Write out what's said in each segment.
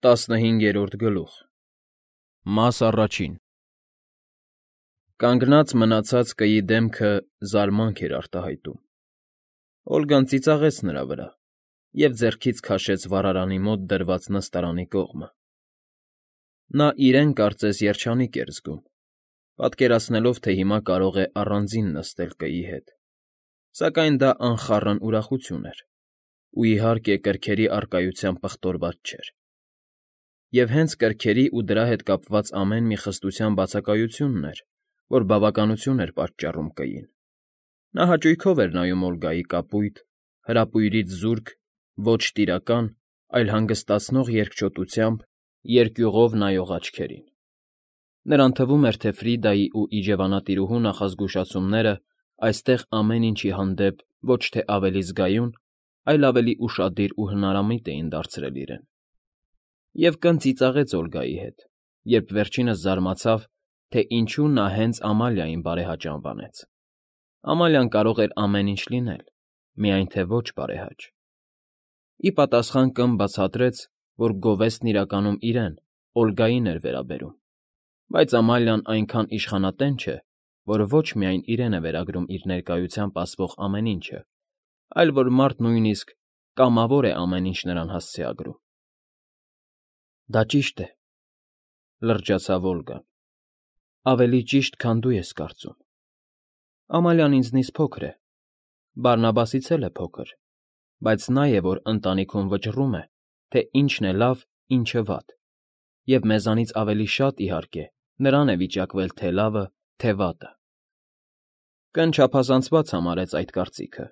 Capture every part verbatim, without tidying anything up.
Տասնհինգերորդ գլուխ Մաս առաջին Կանգնած մնացած կայի դեմքը զարմանք էր արտահայտում։ Օլգան ծիծաղեց նրա վրա և ձեռքից քաշեց վառարանի մոտ դրված նստարանի կողմը։ Նա իրեն կարծես երջանիկ էր զգում, պատկերացնելով, թե հիմա կարող է առանձին նստել կայի հետ, սակայն դա անխառն ուրախություն էր ու, իհարկե, կրքերի առկայությամբ պղտորված չէր։ Եվ հենց կրքերի ու դրա հետ կապված ամեն մի խստության բացակայությունն էր, որ բավականություն էր պատճառում կային։ Նա հաճույքով էր նայում Օլգայի կապույտ, հրապույրից զուրկ, ոչ տիրական, այլ հանգստացնող երկչոտությամբ երկյուղով նայող աչքերին։ Նրան թվում էր, թե Ֆրիդայի ու իջևանատիրուհու նախազգուշացումները այստեղ ամեն ինչի հանդեպ ոչ թե ավելի զգայուն, այլ ավելի ուշադիր ու հնարամիտ էին դարձրել իրեն։ Եվ կն ծիծաղեց Օլգայի հետ, երբ վերջինս զարմացավ, թե ինչու նա հենց Ամալիային բարեհաճ անվանեց։ Ամալիան կարող էր ամեն ինչ լինել, միայն թե ոչ բարեհաճ։ Ի պատասխան կն բացատրեց, որ գովեստն իրականում իրեն՝ Օլգային էր վերաբերում, բայց Ամալիան այնքան իշխանատեն չէ, որ ոչ միայն իրեն է վերագրում իր ներկայությամբ ասվող ամեն ինչը, այլ որ մարդ նույնիսկ կամավոր է ամեն ինչ նրան հասցեագրում։ Դա ճիշտ է,֊ լրջացավ Օլգան,֊ ավելի ճիշտ, քան դու ես կարծում։ Ամալիան ինձնից փոքր է, Բարնաբասից էլ է փոքր, բայց նա է, որ ընտանիքում վճռում է, թե ինչն է լավ, ինչը վատ, և մեզանից ավելի շատ, իհարկե, նրան է վիճակվել թե լավը, թե վատը։ Կն չափազանցված համարեց այդ կարծիքը։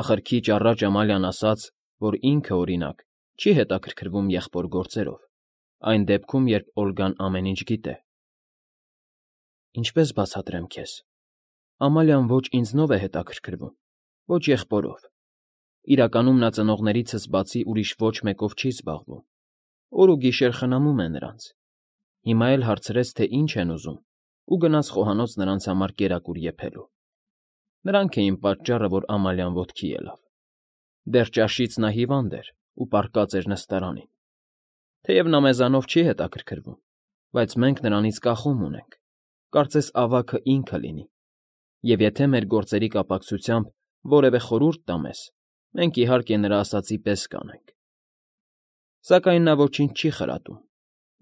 Ախր քիչ առաջ Ամալիան ասաց, որ ինքը, օրինակ, չի հետաքրքրվում եղբոր գործերով, այն դեպքում, երբ Օլգան ամեն ինչ գիտե։ Ինչպե՞ս բացատրեմ քեզ. Ամալիան ոչ ինձնով է հետաքրքրվում, ոչ եղբորով։ Իրականում նա ծնողներիցս բացի ուրիշ ոչ մեկով չի զբաղվում, օր ու գիշեր խնամում է նրանց։ Հիմա էլ հարցրեց, թե ինչ են ուզում, ու գնաց խոհանոց նրանց համար կերակուր եփելու։ Նրանք էին պատճառը, որ Ամալիան ոտքի ելավ։ Դեռ ճաշից նա հիվանդ էր ու պառկած էր նստարանին։ Թեև նա մեզանով չի հետաքրքրվում, բայց մենք նրանից կախում ունենք, կարծես ավագը ինքը լինի, և եթե մեր գործերի կապակցությամբ որևէ խորհուրդ տա մեզ, մենք, իհարկե, նրա ասածի պես կանենք։ Սակայն նա ոչինչ չի խրատում,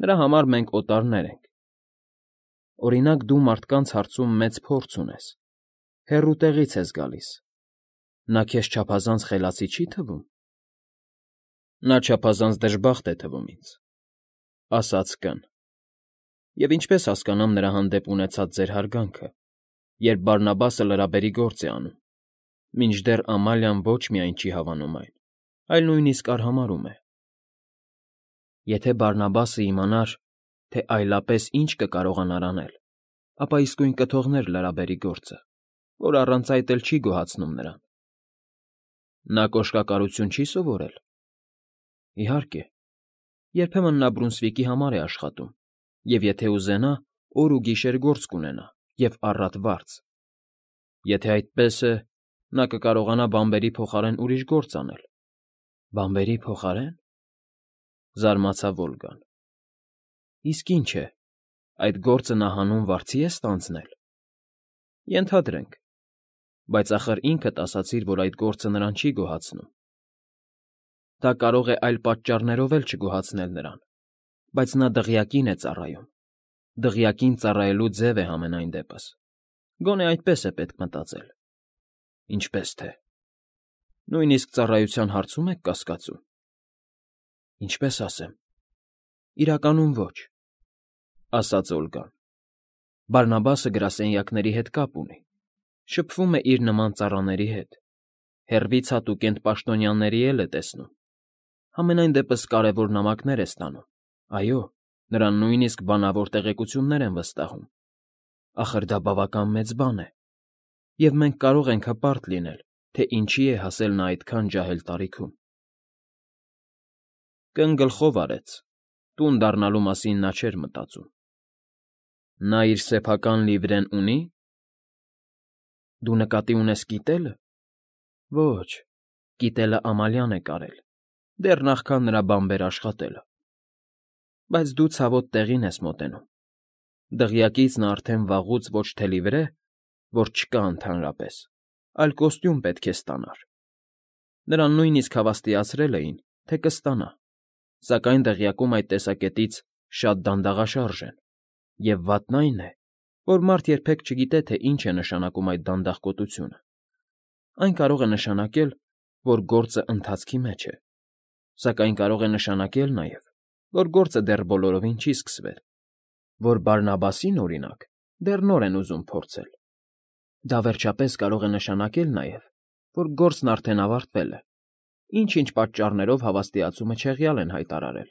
նրա համար մենք օտարներ ենք։ Օրինակ, դու մարդկանց հարցում մեծ փորձ ունես, հեռու տեղից ես գալիս, նա քեզ չափազանց խելացի չի՞ թվում։ Նա չափազանց դժբախտ է թվում ինձ,֊ ասաց կն,֊ և ինչպես հասկանամ նրա հանդեպ ունեցած ձեր հարգանքը, երբ Բարնաբասը լրաբերի գործ է անում, մինչդեռ Ամալիան ոչ միայն չի հավանում այն, այլ նույնիսկ արհամարհում է։ Եթե Բարնաբասը իմանար, թե այլապես ինչ կկարողանար անել, ապա իսկույն կթողներ լրաբերի գործը, որ առանց այդ էլ չի գոհացնում նրան։ Նա կոշկակարություն չի՞ սովորել։ Իհարկե, երբեմն նա Բրունսվիկի համար է աշխատում, և եթե ուզենա, օր ու գիշեր գործ կունենա և առատ վարձ։ Եթե այդպես է, նա կկարողանա բանբերի փոխարեն ուրիշ գործ անել։ Բանբերի փոխարե՞ն,֊ զարմացավ Օլգան։ Իսկ ինչ է, այդ գործը նա հանուն վարձի է ստանձնել։ Ենթադրենք, բայց ախր ինքդ ասացիր, որ այդ գործը նրան չի գոհացնում։ Դա կարող է այլ պատճառներով էլ չգոհացնել նրան, բայց նա դղյակին է ծառայում, դղյակին ծառայելու ձև է համենայն դեպս, գոնե այդպես է պետք մտածել։ Ինչպես թե, նույնիսկ ծառայության հարցում եք կասկածում։ Ինչպես ասեմ, իրականում ոչ,֊ ասաց Օլգան։ Բարնաբասը գրասենյակների հետ կապ ունի, շփվում է իր նման ծառաների հետ, հեռվից հատուկենտ պաշտոնյաների էլ է տեսնում, համենայն դեպս կարևոր նամակներ է ստանում, այո, նրան նույնիսկ բանավոր տեղեկություններ են վստահում։ Ախր դա բավական մեծ բան է, և մենք կարող ենք հպարտ լինել, թե ինչի է հասել նա այդքան ջահել տարիքում։ Կն գլխով արեց, տուն դառնալու մասին նա չէր մտածում։ Նա իր սեփական լիվրեն ունի՞։ Դու նկատի ունես կիտելը։ Ոչ, կիտելը Ամալիան է կարել, դեռ նախքան նրա բանբեր աշխատելը։ բայց դու ցավոտ տեղին ես մոտենում։ Դղյակից նա արդեն վաղուց ոչ թե լիվրե, որ չկա ընդհանրապես, այլ կոստյում պետք է ստանար։ Նրան նույնիսկ հավաստիացրել էին, թե կստանա, սակայն դղյակում այդ տեսակետից շատ դանդաղաշարժ են, և վատն այն է, որ մարդ երբեք չգիտե, թե ինչ է նշանակում այդ դանդաղկոտությունը։ Այն կարող է նշանակել, որ գործը ընթացքի մեջ է, սակայն կարող է նշանակել նաև, որ գործը դեռ բոլորովին չի սկսվել, որ Բարնաբասին, օրինակ, դեռ նոր են ուզում փորձել։ Դա վերջապես կարող է նշանակել նաև, որ գործն արդեն ավարտվել է, ինչ-ինչ պատճառներով հավաստիացումը չեղյալ են հայտարարել,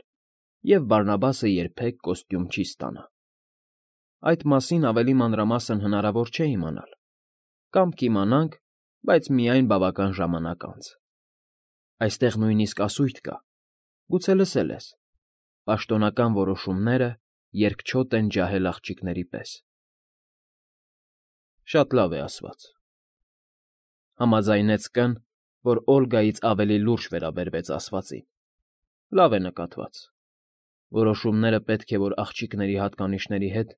և Բարնաբասը երբեք կոստյում չի ստանա։ Այդ մասին ավելի մանրամասն հնարավոր չէ իմանալ, կամ կիմանանք, բայց միայն բավական ժամանակ անց։ Այստեղ նույնիսկ ասույթ կա, գուցե լսել ես. պաշտոնական որոշումները երկչոտ են ջահել աղջիկների պես։ Շատ լավ է ասված, համաձայնեց Կ֊ն, որ Օլգայից ավելի լուրջ վերաբերվեց ասվածին։ Լավ է նկատված։ Որոշումները պետք է, որ աղջիկների հատկանիշների հետ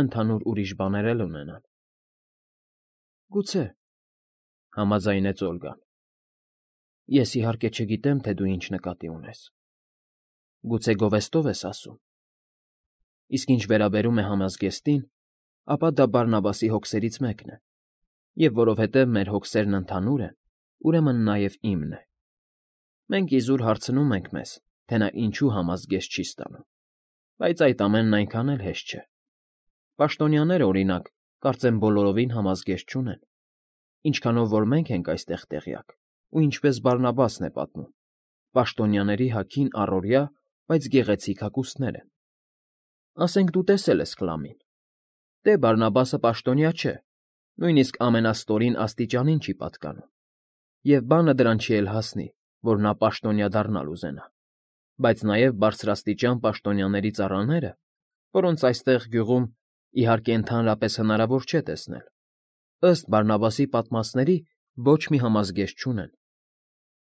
ընդհանուր ուրիշ բաներ էլ ունենան։ Գուցե, համաձայնեց Օլգան։ Ես իհարկե չգիտեմ, թե դու ինչ նկատի ունես։ Գուցե գովեստով ես ասում։ Իսկ ինչ վերաբերում է համազգեստին, ապա դա Բարնաբասի հոգսերից մեկն է, և որովհետև մեր հոգսերն ընդհանուր են, ուրեմն նաև իմն է։ Մենք իզուր հարցնում ենք մեզ, թե նա ինչու համազգեստ չի ստանում, բայց այդ ամենն այնքան էլ հեշտ չէ։ Պաշտոնյաները, օրինակ, կարծեմ բոլորովին համազգեստ չունեն, ինչքանով որ մենք ենք այստեղ տեղյակ, ու ինչպես Բարնաբասն է պատմում, պաշտոնյաների հագին առօրյա, բայց գեղեցիկ հագուստներ են։ Ասենք դու տեսել ես Քլամին։ Դե Բարնաբասը պաշտոնյա չէ, նույնիսկ ամենաստորին աստիճանին չի պատկանում, և բանը դրան չի էլ հասնի, որ նա պաշտոնյա դառնալ ուզենա, բայց նաև բարձրաստիճան պաշտոնյաների ծառաները, որոնց այստեղ գյուղում, իհարկե ընդհանրապես հնարավոր չէ տեսնել, ըստ Բարնաբասի պատմածների ոչ մի համազգեստ չունեն։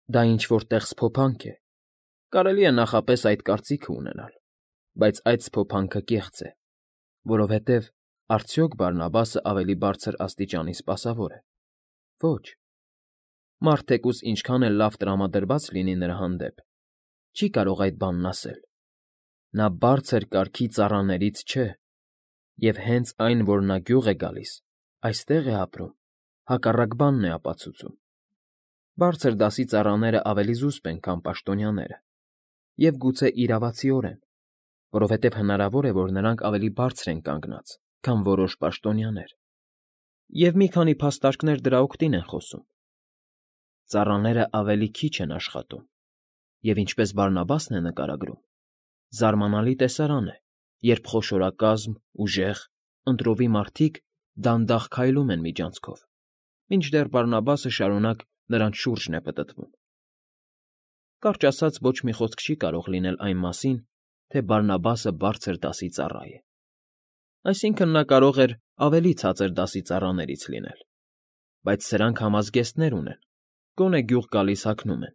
Դա ինչ-որ տեղ սփոփանք է, կարելի է նախապես այդ կարծիքը ունենալ, բայց այդ սփոփանքը կեղծ է, որովհետև արդյոք Բարնաբասը ավելի բարձր աստիճանի սպասավոր է։ Ոչ։ Մարդ թեկուզ ինչքան էլ լավ տրամադրված լինի նրա հանդեպ, չի կարող այդ բանն ասել։ Նա բարձր կարգի ծառաներից չէ, և հենց այն, որ նա գյուղ է գալիս, այստեղ է ապրում, հակառակ բանն է ապացուցում։ Բարձր դասի ծառաները ավելի զուսպ են, քան պաշտոնյաները, և գուցե իրավացիորեն, որովհետև հնարավոր է, որ նրանք ավելի բարձր են կանգնած, քան որոշ պաշտոնյաներ, և մի քանի փաստարկներ դրա օգտին են խոսում։ Ծառաները ավելի քիչ են աշխատում, և ինչպես Բարնաբասն է նկարագրում, զարմանալի տեսարան է, երբ խոշորակազմ, ուժեղ, ընտրովի մարդիկ դանդաղ քայլում են միջանցքով, մինչդեռ Բարնաբասը շարունակ նրանց շուրջն է պտտվում։ Կարճ ասած, ոչ մի խոսք չի կարող լինել այն մասին, թե Բարնաբասը բարձր դասի ծառա է։ Այսինքն՝ նա կարող էր ավելի ցածր դասի ծառաներից լինել, բայց սրանք համազգեստներ ունեն, գոնե գյուղ գալիս հագնում են։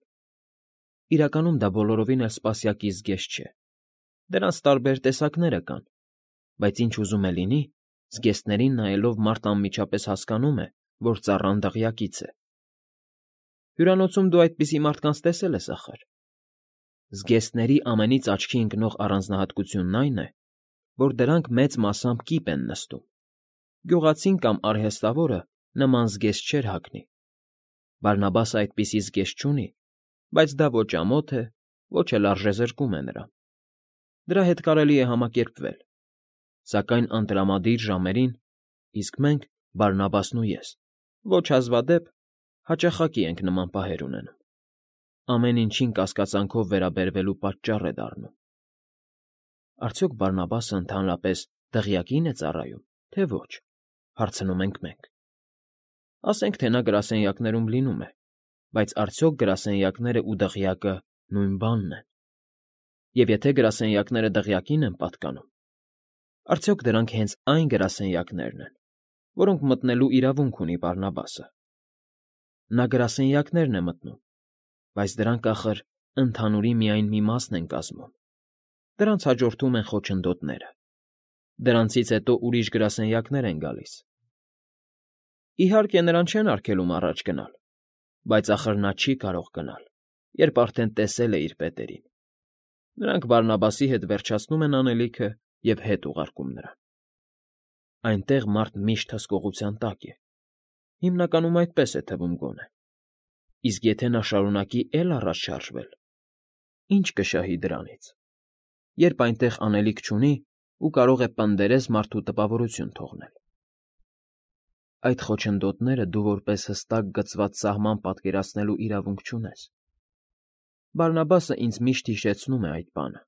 Իրականում դա բոլորովին էլ սպասյակի զգեստ չէ։ Դրանց տարբեր տեսակները կան, բայց ինչ ուզում է լինի, զգեստներին նայելով մարդ անմիջապես հասկանում է, որ ծառան դղյակից է։ Հյուրանոցում դու այդպիսի մարդկանց տեսել ես, ախր։ Զգեստների ամենից աչքի ընկնող առանձնահատկությունն այն է, որ դրանք մեծ մասամբ կիպ են նստում։ Գյուղացին կամ արհեստավորը նման զգեստ չէր հագնի։ Բարնաբասը այդպիսի զգեստ չունի, բայց դա ոչ ամոթ է, ոչ էլ արժեզրկում է նրան։ Դրա հետ կարելի է համակերպվել, սակայն անտրամադիր ժամերին, իսկ մենք, Բարնաբասն ու ես, ոչ հազվադեպ հաճախակի ենք նման պահեր ունենում։ Ամեն ինչին կասկածանքով վերաբերվելու պատճառ է դառնում։ Արդյոք Բարնաբասը ընդհանրապես դղյակի՞ն է ծառայում, թե ոչ, հարցնում ենք մենք։ Ասենք, թե նա գրասենյակներում լինում է, բայց արդյոք գրասենյակները ու դղյակը նույն բանն են։ Եվ եթե գրասենյակները դղյակին են պատկանում, արդյոք դրանք հենց այն գրասենյակներն են, որոնք մտնելու իրավունք ունի Բարնաբասը։ Նա գրասենյակներն է մտնում, բայց դրանք, ախր, ընդհանուրի միայն մի մասն են կազմում։ Դրանց հաջորդում են խոչընդոտները։ Դրանցից հետո ուրիշ գրասենյակներ են գալիս։ Իհարկե, նրան չեն արգելում առաջ գնալ, բայց ախր նա չի կարող գնալ, երբ արդեն տեսել է իր պետերին։ Նրանք Բարնաբասի հետ վերջացնում են անելիքը և հետ ուղարկում նրան։ Այնտեղ մարդ միշտ հսկողության տակ է։ Հիմնականում այդպես է թվում գոնե։ Իսկ եթե նա շարունակի էլ առաջ շարժվել, ի՞նչ կշահի դրանից, երբ այնտեղ անելիք չունի ու կարող է պնդերես մարդու տպավորություն թողնել։ Այդ խոչընդոտները դու որպես հստակ գծված սահման պատկերացնելու իրավունք չունես։ Բարնաբասը ինձ միշտ հիշեցնում է այդ բանը։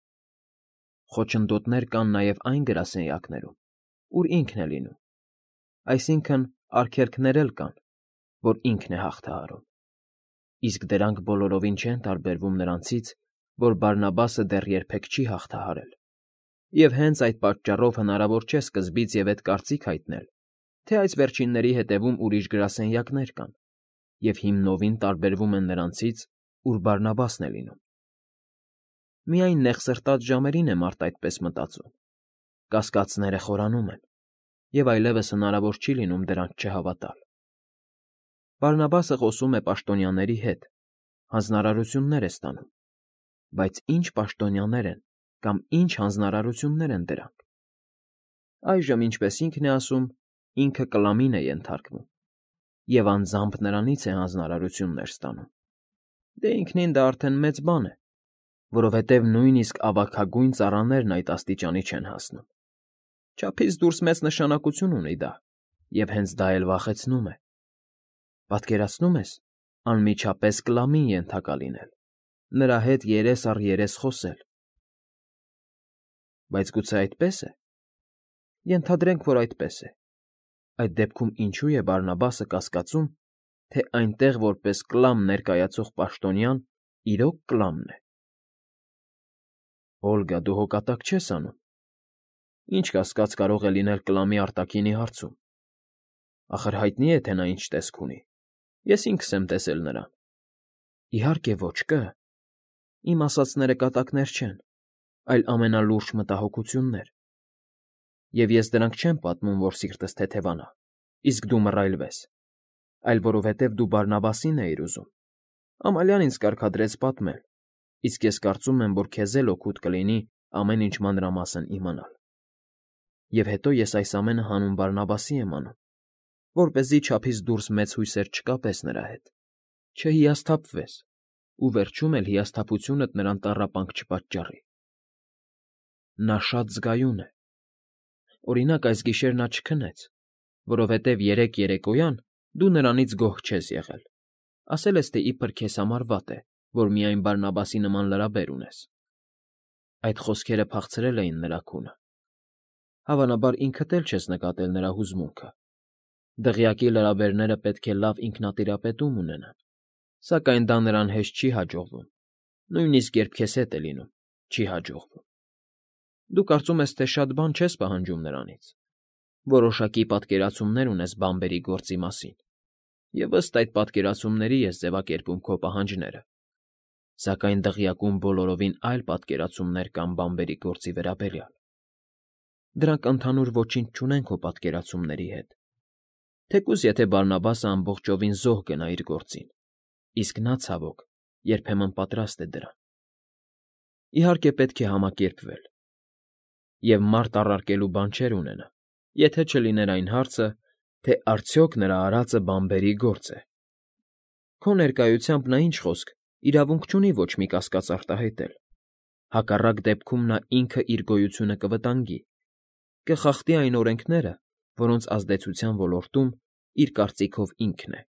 Խոչընդոտներ կան նաև այն գրասենյակներում, ուր ինքն է լինում, այսինքն արգելքներ էլ կան, որ ինքն է հաղթահարում։ Իսկ դրանք բոլորովին չեն տարբերվում նրանցից, որ Բարնաբասը դեռ երբեք չի հաղթահարել, և հենց այդ պատճառով հնարավոր չէ սկզբից և էդ կարծիք հայտնել, թե այս վերջինների հետևում ուրիշ գրասենյակներ կան և հիմնովին տարբերվում են նրանցից, ուր Բարնաբասն է լինում։ Միայն նեղսրտած ժամերին է մարդ այդպես մտածում, կասկածները խորանում են, և այլևս հնարավոր չի լինում դրանց չհավատալ։ Բարնաբասը խոսում է պաշտոնյաների հետ, հանձնարարություններ է ստանում, բայց ի՞նչ պաշտոնյաներ են կամ ի՞նչ հանձնարարություններ են դրանք։ Այժմ, ինչպես ինքն է ասում, ինքը կլամին է ենթարկվում, և անձամբ նրանից է հանձնարարություններ ստանում։ Դե ինքնին դա արդեն մեծ բան է, որովհետև նույնիսկ ավագագույն ծառաներն այդ աստիճանի չեն հասնում։ Չափից դուրս մեծ նշանակություն ունի դա, և հենց դա էլ վախեցնում է։ Պատկերացնո՞ւմ ես անմիջապես կլամին ենթակա լինել, նրա հետ երես առ երես խոսել։ Բայց գուցե այդպե՞ս է։ Ենթադրենք, որ այդպես է։ Այդ դեպքում ինչո՞ւ է Բարնաբասը կասկածում, թե այնտեղ որպես կլամ ներկայացող պաշտոնյան իրոք կլամն է։ Օլգա, դու հո կատակ չես անում։ Ինչ կասկած կարող է լինել կլամի արտաքինի հարցում։ Ախր հայտնի է, թե նա ինչ տեսք ունի։ Ես ինքս եմ տեսել նրան։ Իհարկե ոչ, կը։ Իմ ասածները կատակներ չեն, այլ ամենալուրջ մտահոգություններ։ Եվ ես դրանք չեմ պատմում, որ սիրտս թեթևանա, իսկ դու մռայլվես, այլ որովհետև դու Բարնաբասին էիր ուզում։ Ամալյան ինձ կարգադրեց պատմել, իսկ ես կարծում եմ, որ քեզ էլ օգուտ կլինի ամեն ինչ մանրամասն իմանալ։ Եվ հետո ես այս ամենը հանուն Բարնաբասի եմ անում, որպեսզի չափից դուրս մեծ հույսեր չկապես նրա հետ, չհիասթափվես ու վերջում էլ հիասթափությունդ նրան տառապանք չպատճառի։ Նա շատ զգայուն է։ Օրինակ, այս գիշեր նա չքնեց, որովհետև երեկ երեկոյան դու նրանից գոհ չես եղել, ասել ես, թե իբր քեզ համար վատ է, որ միայն Բարնաբասի նման լրաբեր ունես։ Այդ խոսքերը փախցրել էին նրա քունը։ Հավանաբար ինքդ էլ չես նկատել նրա հուզմունքը։ Դղյակի լրաբերները պետք է լավ ինքնատիրապետում ունենան, սակայն դա նրան հեշտ չի հաջողվում, նույնիսկ երբ քեզ հետ է լինում, չի հաջողվում։ Դու կարծում ես, թե շատ բան չես պահանջում նրանից, որոշակի պատկերացումներ ունես բանբերի գործի մասին, և ըստ այդ պատկերացումների ես ձևակերպում քո պահանջները, սակայն դղյակում բոլորովին այլ պատկերացումներ կան բանբերի գործի վերաբերյալ։ Դրանք ընդհանուր ոչինչ չունեն քո պատկերացումների հետ, թեկուզ եթե Բարնաբասը ամբողջովին զոհ գնա իր գործին, իսկ նա, ցավոք, երբեմն պատրաստ է դրան։ Իհարկե, պետք է համակերպվել, և մարդ առարկելու բան չէր ունենա, եթե չլիներ այն հարցը, թե արդյոք նրա արածը բանբերի գործ է։ Քո ներկայությամբ նա, ինչ խոսք, իրավունք չունի ոչ մի կասկած արտահայտել։ Հակառակ դեպքում նա ինքը իր գոյությունը կվտանգի, կխախտի այն օրենքները, որոնց ազդեցության ոլորտում իր կարծիքով ինքն է։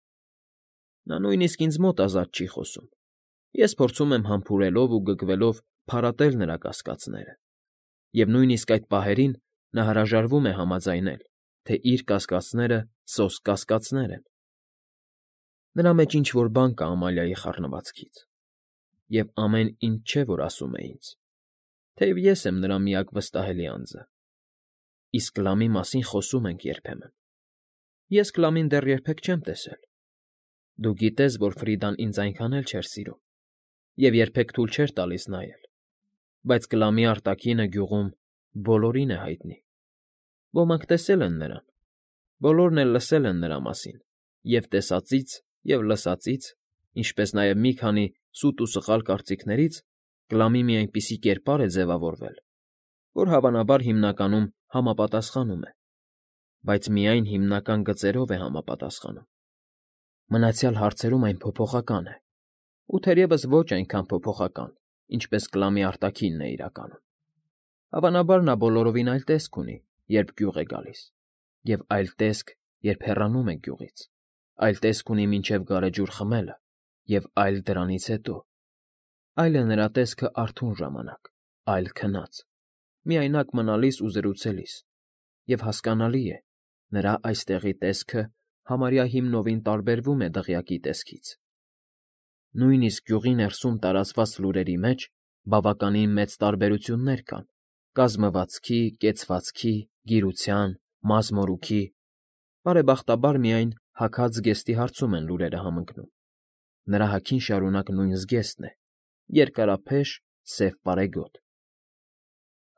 Նա նույնիսկ ինձ մոտ ազատ չի խոսում։ Ես փորձում եմ համբուրելով ու գգվելով փարատել նրա կասկածները, և նույնիսկ այդ պահերին նա հրաժարվում է համաձայնել, թե իր կասկածները սոսկ կասկածներ են։ Նրա մեջ ինչ֊որ բան կա Ամալիայի խառնվածքից, և ամեն ինչ չէ, որ ասում է ինձ, թեև ես եմ նրա միակ վստահելի անձը։ Իսկ լամի մասին խոսում ենք երբեմն։ Ես Կլամին դեռ երբեք չեմ տեսել։ Դու գիտես, որ Ֆրիդան ինձ այնքան էլ չէր սիրում և երբեք թույլ չէր տալիս նայել։ բայց Կլամի արտաքինը գյուղում բոլորին է հայտնի։ Ոմանք տեսել են նրան, բոլորն էլ լսել են նրա մասին, և՛ տեսածից, և՛ լսածից, ինչպես նաև մի քանի սուտ ու սխալ կարծիքներից Կլամի մի այնպիսի կերպար է ձևավորվել, որ հավանաբար հիմնականում համապատասխանում է, բայց միայն հիմնական գծերով է համապատասխանում։ Մնացյալ հարցերում այն փոփոխական է, ու թերևս ոչ այնքան փոփոխական, ինչպես Կլամի արտաքինն է իրականում։ Հավանաբար նա բոլորովին այլ տեսք ունի, երբ գյուղ է գալիս, և այլ տեսք, երբ հեռանում է գյուղից, այլ տեսք ունի մինչև գարեջուր խմելը, և այլ դրանից հետո։ Այլ է նրա տեսքը արթուն ժամանակ, այլ քնած, միայնակ մնալիս ու զրուցելիս, և հասկանալի է, նրա այստեղի տեսքը համարյա հիմնովին տարբերվում է դղյակի տեսքից։ Նույնիսկ գյուղի ներսում տարածված լուրերի մեջ բավականին մեծ տարբերություններ կան կազմվածքի, կեցվածքի, գիրության, մազմորուքի, բարեբախտաբար միայն հագած զգեստի հարցում են լուրերը համընկնում։ Նրա հագին շարունակ նույն զգեստն է՝ երկարափեշ, սև պարեգոտ։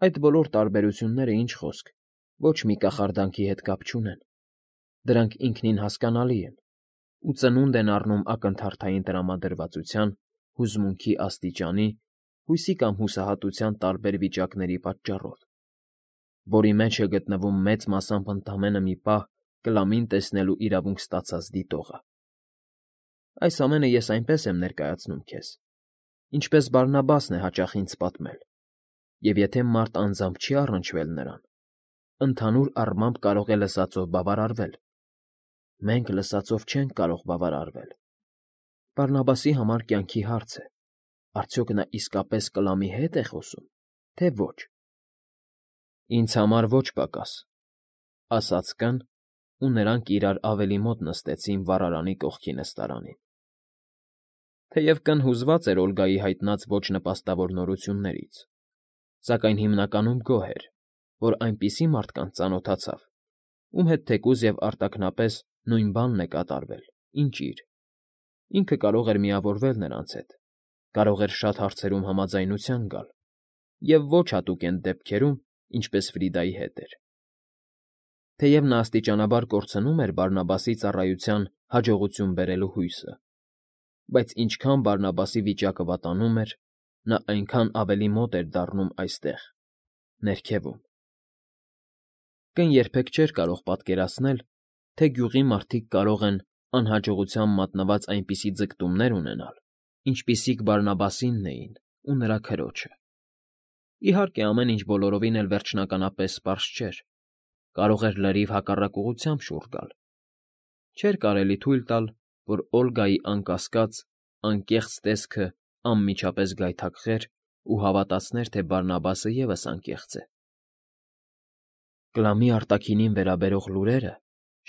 Այդ բոլոր տարբերությունները, ինչ խոսք, ոչ մի կախարդանքի հետ կապ չունեն։ Դրանք ինքնին հասկանալի են ու ծնունդ են առնում ակնթարթային տրամադրվածության, հուզմունքի աստիճանի, հույսի կամ հուսահատության տարբեր վիճակների պատճառով, որի մեջ է գտնվում մեծ մասամբ ընդամենը մի պահ Կլամին տեսնելու իրավունք ստացած դիտողը։ Այս ամենը ես այնպես եմ ներկայացնում քեզ, ինչպես Բարնաբասն է հաճախ ինձ պատմել, և եթե մարդ անձամբ չի առնչվել նրան, ընդհանուր առմամբ կարող է լսածով բավարարվել։ Մենք լսածով չենք կարող բավարարվել։ Բարնաբասի համար կյանքի հարց է. արդյոք նա իսկապես Կլամի հետ է խոսում, թե ոչ։ Ինձ համար ոչ պակաս, ֊ ասաց կն, ու նրանք իրար ավելի մոտ նստեցին վառարանի կողքի նստարանին։ Թեև կն հուզված էր Օլգայի հայտնած ոչ նպաստավոր նորություններից, սակայն հիմնականում գոհ էր, որ այնպիսի մարդկանց ծանոթացավ, ում հետ թեկուզ և արտաքնապես նույն բանն է կատարվել, ինչ իր։ Ինքը կարող էր միավորվել նրանց հետ, կարող էր շատ հարցերում համաձայնության գալ, և ոչ հատուկ էն դեպքերում, ինչպես Ֆրիդայի հետ էր։ Թեև նա աստիճանաբար կորցնում էր Բարնաբասի ծառայության հաջողություն բերելու հույսը, բայց ինչքան Բարնաբասի վիճակը վատանում էր, նա այնքան ավելի մոտ էր դառնում այստեղ, ներքևում։ Կն երբեք չէր կարող պատկերացնել, թե գյուղի մարդիկ կարող են անհաջողության մատնված այնպիսի ձգտումներ ունենալ, ինչպիսիք Բարնաբասինն էին ու նրա քրոջը։ Իհարկե, ամեն ինչ բոլորովին էլ վերջնականապես պարզ չէր, կարող էր լրիվ հակառակ ուղղությամբ շուռ գալ։ Չէր կարելի թույլ տալ, որ Օլգայի անկասկած, անկեղծ տեսքը անմիջապես գայթակղեր ու հավատացներ, թե Բարնաբասը ևս անկեղծ է։ Կլամի արտաքինին վերաբերող լուրերը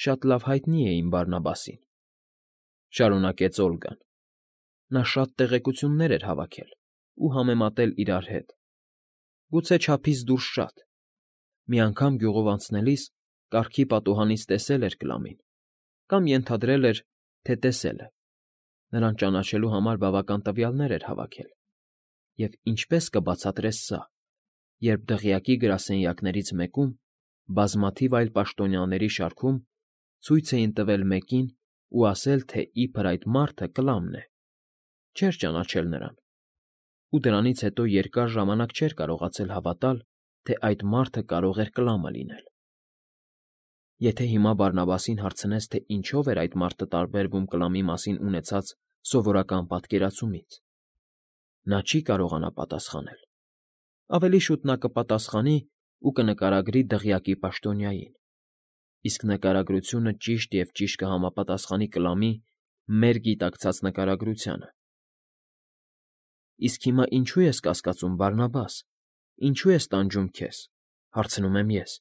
շատ լավ հայտնի էին Բարնաբասին, ֊ շարունակեց Օլգան։ Նա շատ տեղեկություններ էր հավաքել ու համեմատել իրար հետ, գուցե չափից դուրս շատ։ Մի անգամ գյուղով անցնելիս կառքի պատուհանից տեսել էր Կլամին կամ ենթադրել էր, թե տեսել է, նրան ճանաչելու համար բավական տվյալներ էր հավաքել։ Եվ ինչպե՞ս կբացատրես սա, երբ դղյակի գրասենյակներից մեկում, բազմաթիվ այլ պաշտոնյաների շարքում ցույց էին տվել մեկին ու ասել, թե իբր այդ մարդը Կլամն է։ Չէր ճանաչել նրան, ու դրանից հետո երկար ժամանակ չէր կարողացել հավատալ, թե այդ մարդը կարող էր Կլամը լինել։ Եթե հիմա Բարնաբասին հարցնես, թե ինչով էր այդ մարդը տարբերվում Կլամի մասին ունեցած սովորական պատկերացումից, նա չի կարողանա պատասխանել։ Ավելի շուտ նա կպատասխանի ու կնկարագրի դղյակի պաշտոնյային, իսկ նկարագրությունը ճիշտ և ճիշտ կհամապատասխանի Կլամի մեր գիտակցած նկարագրությանը։ Իսկ հիմա ինչո՞ւ ես կասկածում, Բարնաբաս, ինչո՞ւ ես տանջում քեզ, հարցնում եմ ես։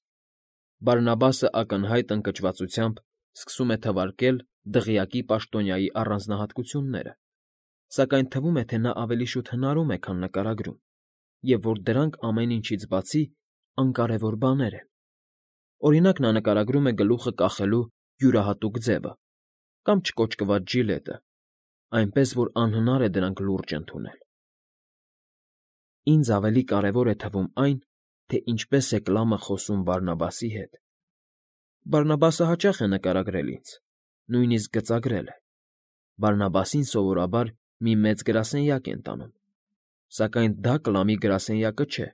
Բարնաբասը ակնհայտ ընկճվածությամբ սկսում է թվարկել դղյակի պաշտոնյայի առանձնահատկությունները, սակայն թվում է, թե նա ավելի շուտ հնարում է, քան նկարագրում, և որ դրանք ամեն ինչից բացի անկարևոր բաներ են։ Օրինակ, նա նկարագրում է գլուխը կախելու յուրահատուկ ձևը կամ չկոճկված ջիլետը, այնպես որ անհնար է դրանք լուրջ ընդունել։ ինձ ավելի կարևոր է թվում այն, թե ինչպես է Կլամը խոսում Բարնաբասի հետ։ Բարնաբասը հաճախ է նկարագրել ինձ, նույնիսկ գծագրել է։ Բարնաբասին սովորաբար մի մեծ գրասենյակ են տանում, սակայն դա Կլամի գրասենյակը չէ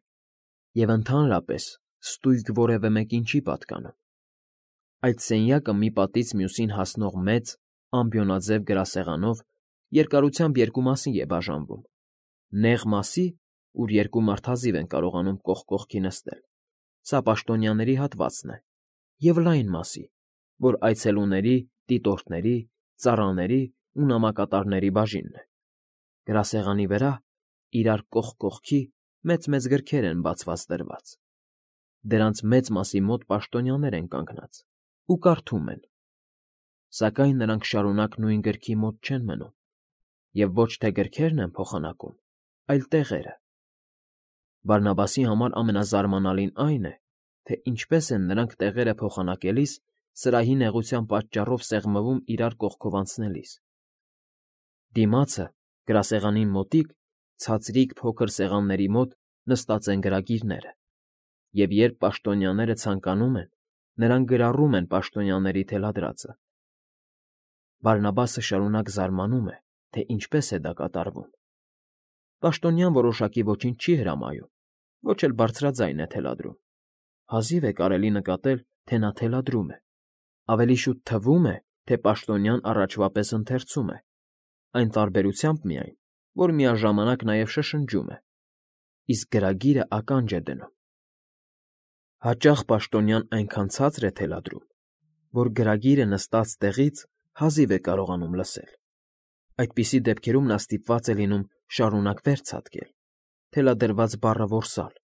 և ընդհանրապես ստույգ որևէ մեկին չի պատկանում։ Այդ սենյակը մի պատից մյուսին հասնող մեծ, ամբիոնաձև գրասեղանով երկարությամբ երկու մասի է բաժանվում. նեղ մասի, ուր երկու մարդազիվ են կարողանում կողք կողքի նստել, սա պաշտոնյաների հատվածն է, և լայն մասի, որ այցելուների, դիտորդների, ծառաների ու նամակատարների բաժինն է։ Գրասեղանի վրա, իրար կողք կողքի, մեծ֊մեծ գրքեր են բացված դրված։ Դրանց մեծ մասի մոտ պաշտոնյաներ են կանգնած ու կարդում են, սակայն նրանք շարունակ նույն գրքի մոտ չեն մնում, և ոչ թե գրքերն են փոխանակում, այլ տեղերը։ Բարնաբասի համար ամենազարմանալին այն է, թե ինչպես են նրանք տեղերը փոխանակելիս սրահի նեղության պատճառով սեղմվում իրար կողքով անցնելիս։ Դիմացը, գրասեղանին մոտիկ, ցածրիկ փոքր սեղանների մոտ նստած են գրագիրները, և երբ պաշտոնյաները ցանկանում են, նրանք գրառում են պաշտոնյաների թելադրածը։ Բարնաբասը շարունակ զարմանում է, թե ինչպես է դա կատարվում։ Պաշտոնյան որոշակի ոչինչ չի հրամայում, ոչ էլ բարձրաձայն է թելադրում։ Հազիվ է կարելի նկատել, թե նա թելադրում է, ավելի շուտ թվում է, թե պաշտոնյան առաջվա պես ընթերցում է, այն տարբերությամբ միայն, որ միաժամանակ նաև շշնջում է, իսկ գրագիրը ականջ է դնում։ Հաճախ պաշտոնյան այնքան ցածր է թելադրում, որ գրագիրը նստած տեղից հազիվ է կարողանում լսել։ Այդպիսի դեպքերում նա ստիպված է լինում շարունակ վեր ցատկել, թելադրված բառը որսալ,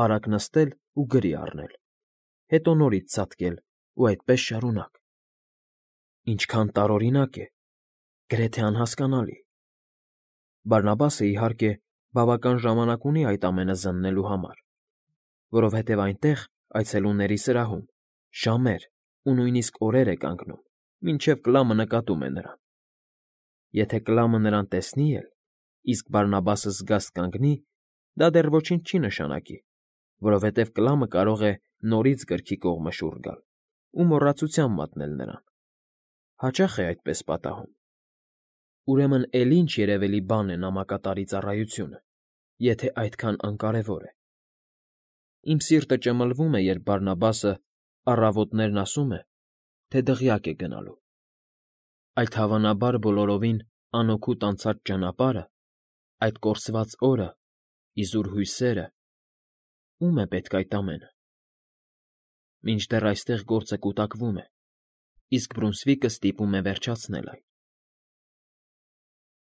արագ նստել ու գրի առնել, հետո նորից ցատկել ու այդպես շարունակ։ Ինչքան տարօրինակ է, գրեթե անհասկանալի։ Բարնաբասը, իհարկե, բավական ժամանակ ունի այդ ամենը զննելու համար, որովհետև այնտեղ, այցելուների սրահում, ժամեր ու նույնիսկ օրեր է կանգնում, մինչև Կլամը նկատում է նրան։ Եթե Կլամը նրան տեսնի էլ, իսկ Բարնաբասը զգաստ կանգնի, դա դեռ ոչինչ չի նշանակի, որովհետև Կլամը կարող է նորից գրքի կողմը շուռ գալ ու մոռացության մատնել նրան։ Հաճախ է այդպես պատահում։ Ուրեմն էլի ինչ երևելի բան է նամակատարի ծառայությունը, եթե այդքան անկարևոր է։ Իմ սիրտը ճմլվում է, երբ Բարնաբասը առավոտներն ասում է, թե դղյակ է գնալու։ Այդ հավանաբար բոլորովին անօգուտ անցած ճանապարհը, այդ կորսված օրը, իզուր հույսերը… Ո՞ւմ է պետք այդ ամենը։ Մինչդեռ այստեղ գործը կուտակվում է, իսկ Բրունսվիկը ստիպում է վերջացնել այն։